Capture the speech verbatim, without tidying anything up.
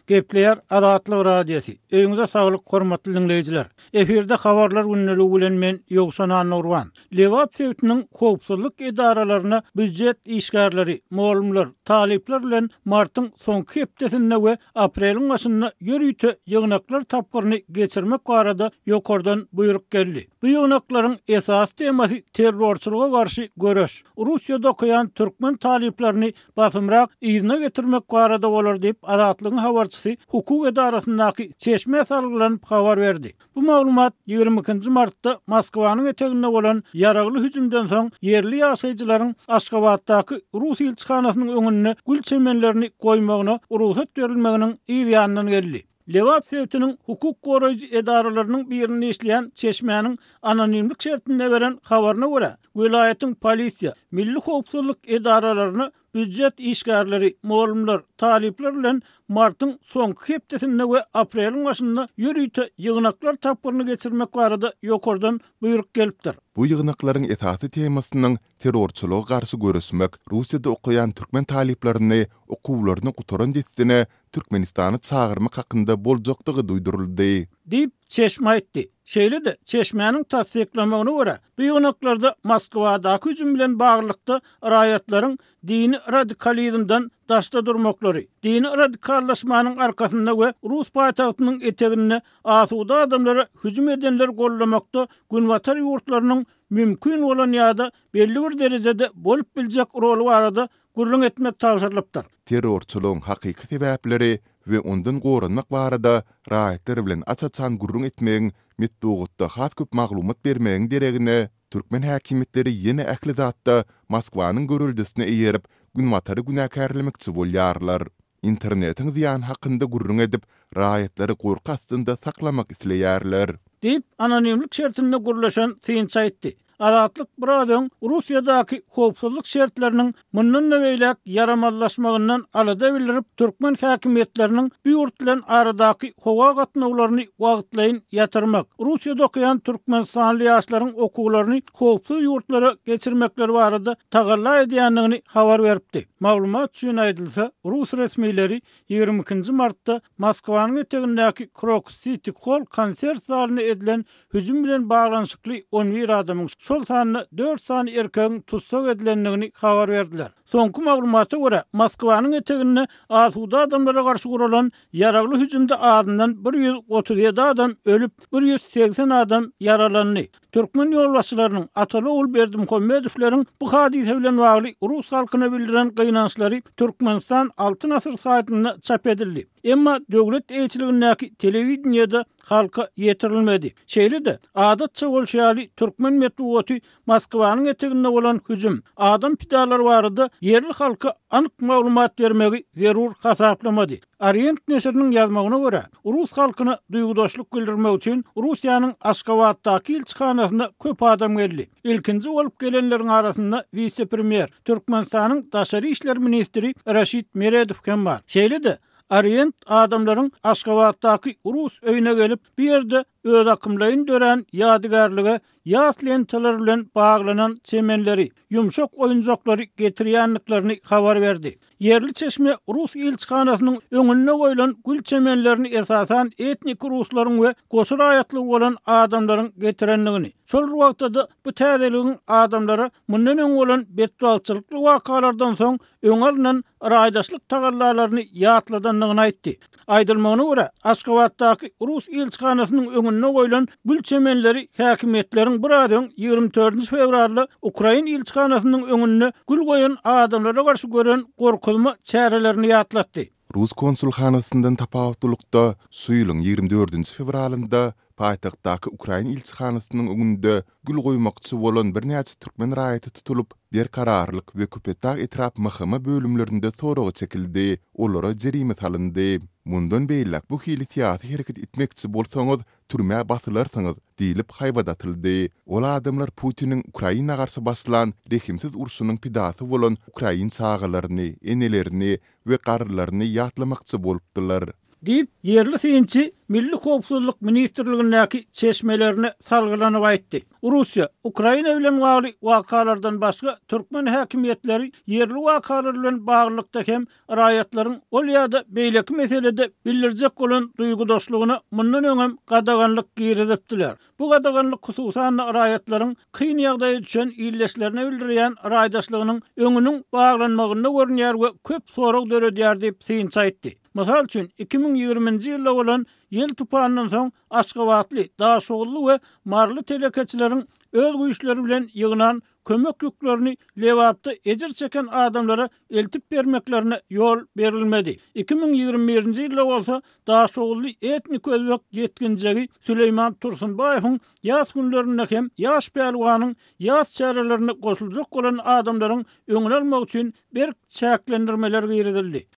Gepleýär Azatlyk Radiosy. Öýüňize saglyk hormatly diňleýjiler. Efirde habarlar gündeligi bilen men Ýowşan Annagurban. Lebap sebitiniň howpsuzlyk edaralaryna býujet işgärleri, mugallymlar, talyplar bilen martyň soňky hepdesinde we apreliň başynda ýörite ýygnaklar tapgyryny geçirmek barada ýokardan buýruk geldi. Bu ýygnaklaryň esasy temasy terrorçylyga garşy göreş, Russiýada okaýan türkmen talyplaryny basymrak yzyna getirmek barada bolar diýip, Azatlygyň habarçysy hukuk edarasyndaky çeşmä salgylanyp habar berdi. Bu maglumat ýigrimi ikinji martda Moskwanyň eteginde bolan ýaragly hüjümden soň ýerli ýaşaýjylaryň Aşgabatdaky rus ilçihanasynyň öňünde gül çemenlerini goýmagyna rugsat berilmeginiň yz ýanyndan geldi. Lebap sebitiniň hukuk goraýjy edaralarynyň birinde işleýän çeşmäniň anonimlik şertinde beren habaryna görä, welaýatyň polisiýa, milli howpsuzlyk edaralaryna býujet işgärleri, mugallymlar, talyplar bilen martyň soňky hepdesinde we apreliň başynda ýörite ýygnaklar tapgyryny geçirmek barada ýokardan buýruk gelipdir. Bu ýygnaklaryň esasy temasynyň terrorçylyga garşy göreşmek, Russiýada okaýan türkmen talyplaryny okuwlaryny gutaran dessine Türkmenistana çagyrmak hakynda boljakdygy duýduryldy. Diýip, çeşme aýtdy. Şeýle-de, çeşmäniň tassyklamagyna görä, bu ýygnaklarda Moskwadaky hüjüm bilen baglylykda raýatlaryň dini radikalizmden daşda durmaklary, dini radikallaşmanyň arkasynda we rus paýtagtynyň eteginde asuda adamlara hüjüm edenleri goldamakda günbatar ýurtlarynyň mümkin bolan ýa-da belli bir derejede bolup biljek roly barada gürrüň etmek tabşyrylypdyr. Terrorçylygyň hakyky sebäpleri we ondan goranmak barada raýatlar bilen aç-açan gürrüň etmegiň, metbugatda has köp maglumat bermegiň deregine, türkmen häkimiýetleri ýene ähli zatda Moskwanyň göreldesine eýerip, Günbatary günäkärlemekçi bolýarlar. Internetiň zyýany hakynda gürrüň edip, raýatlary gorky astynda saklamak isleýärler. Diýip, anonimlik şertinde gürleşen synçy aýtdy. Azatlyk biraz öň Russiýadaky howpsuzlyk şertleriniň mundan-da beýläk ýaramazlaşmagyndan alada bildirip, türkmen häkimiýetleriniň bu ýurt bilen aradaky howa gatnawlaryny wagtlaýyn ýatyrmak, Russiýada okaýan türkmenistanly ýaşlaryň okuwlaryny howpsuz ýurtlara geçirmekleri barada tagalla edýändigini habar beripdi. Maglumat üçin aýdylsa, rus resmileri ýigrimi ikinji martda Moskwanyň etegindäki Krokus Siti Hall konsert zalyna edilen hüjüm bilen baglanyşykly on bir adamyň, şol sanda dört sany erkegiň tussag edilendigini habar berdiler. Soňky maglumata görä, Moskwanyň eteginde asuda adamlara garşy guralan ýaragly hüjümde azyndan bir ýüz otuz ýedi adam ölüp, bir ýüz segsen adam ýaralandy. Türkmen ýolbaşçylarynyň Ataly-ogul Berdimuhamedowleriň bu hadysa bilen bagly rus halkyna bildiren gynançlary Türkmenistan Altyn asyr saýtynda çap edildi. Emma döwlet eýeçiligindäki telewideniýede halka ýetirilmedi. Şeýle-de, adatça bolşy ýaly, türkmen metbugaty Moskwanyň eteginde bolan hüjüm, adam pidalary barada ýerli halka anyk maglumat bermegi zerur hasaplamady. Orient neşiriniň ýazmagyna görä, rus halkyna duýgudaşlyk bildirmek üçin Russiýanyň Aşgabatdaky ilçihanasyna köp adam geldi. Ilkinji bolup gelenleriň arasynda wise-premýer, Türkmenistanyň daşary işler ministri Raşid Meredow hem bar. Şeýle-de, Orient adamlaryň Aşgabatdaky rus öýüne gelip, bu ýerde özakymlaýyn dörän ýadygärlige ýas lentalar bilen baglanan çemenleri, ýumşak oýunjaklary getirýändiklerini habar berdi. Ýerli çeşme rus ilçihanasynyň öňünde goýlan gül çemenlerini esasan etniki ruslaryň we goşa raýatlygy bolan adamlaryň getirendigini, şol bir wagtda-da bu täzeligiň adamlara mundan öň bolan betbagtçylykly wakalardan soň öňe alnan raýdaşlyk tagallalaryny ýatladandygyny aýtdy. Aýdylmagyna görä, Aşgabatdaky rus ilçihanasynyň öňünde goýlan gül çemenleri häkimiýetleriň biraz öň, ýigrimi dördünji fewralda ukrain ilçihanasynyň öňünde gül goýan adamlara garşy gören gorkuzma çärelerini ýatlatdy. Rus konsulhanasyndan tapawutlylykda, şu ýylyň ýigrimi dördünji fewralynda paýtagtdaky ukrain ilçihanasynyň öňünde gül goýmakçy bolan birnäçe türkmen raýaty tutulyp, Berkararlyk we Köpetdag etrap M H M bölümlerinde soraga çekildi, olara jerime salyndy. Mundan beýläk bu hili syýasy hereket etmekçi bolsaňyz, türmä basylarsyňyz diýlip haýbat atyldy. Ol adamlar Putiniň Ukraina garşy başlan rehimsiz urşunyň pidasy bolan ukrain çagalaryny, enelerini we garrylaryny ýatlamakçy bolupdylar. Diýip, ýerli synçy Milli howpsuzlyk ministrligindäki çeşmelerine salgylanyp aýtdy. Russiýa, Ukraina bilen bagly wakalardan başga türkmen häkimiýetleri ýerli wakalar bilen baglylykda hem raýatlaryň ol ýa-da beýleki meselede bildirjek bolan duýgudaşlygyna mundan öňem gadaganlyk girizipdiler. Bu gadaganlyk hususan-da raýatlaryň kyn ýagdaýa düşen ildeşlerine bildirýän raýdaşlygynyň öňüniň baglanmagynda görünýär we köp sorag döredýär diýip, synçy aýtdy. Mysal üçin, iki müň ýigriminji ýylda bolan ýel tupanyndan soň aşgabatly, daşoguzly we maryly telekeçileriň öz güýçleri bilen ýygnan kömek ýüklerini Lebapda ejir çeken adamlara eltip bermeklerine ýol berilmedi. Iki müň ýigrimi birinji ýylda bolsa daşoguzly etnik özbek ýetginjegi Süleýman Tursunbaýewiň ýas günlerinde hem ýaş pälwanyň ýas çärelerine goşuljak bolan adamlaryň öňüni almak üçin berk çäklendirmeler girizildi.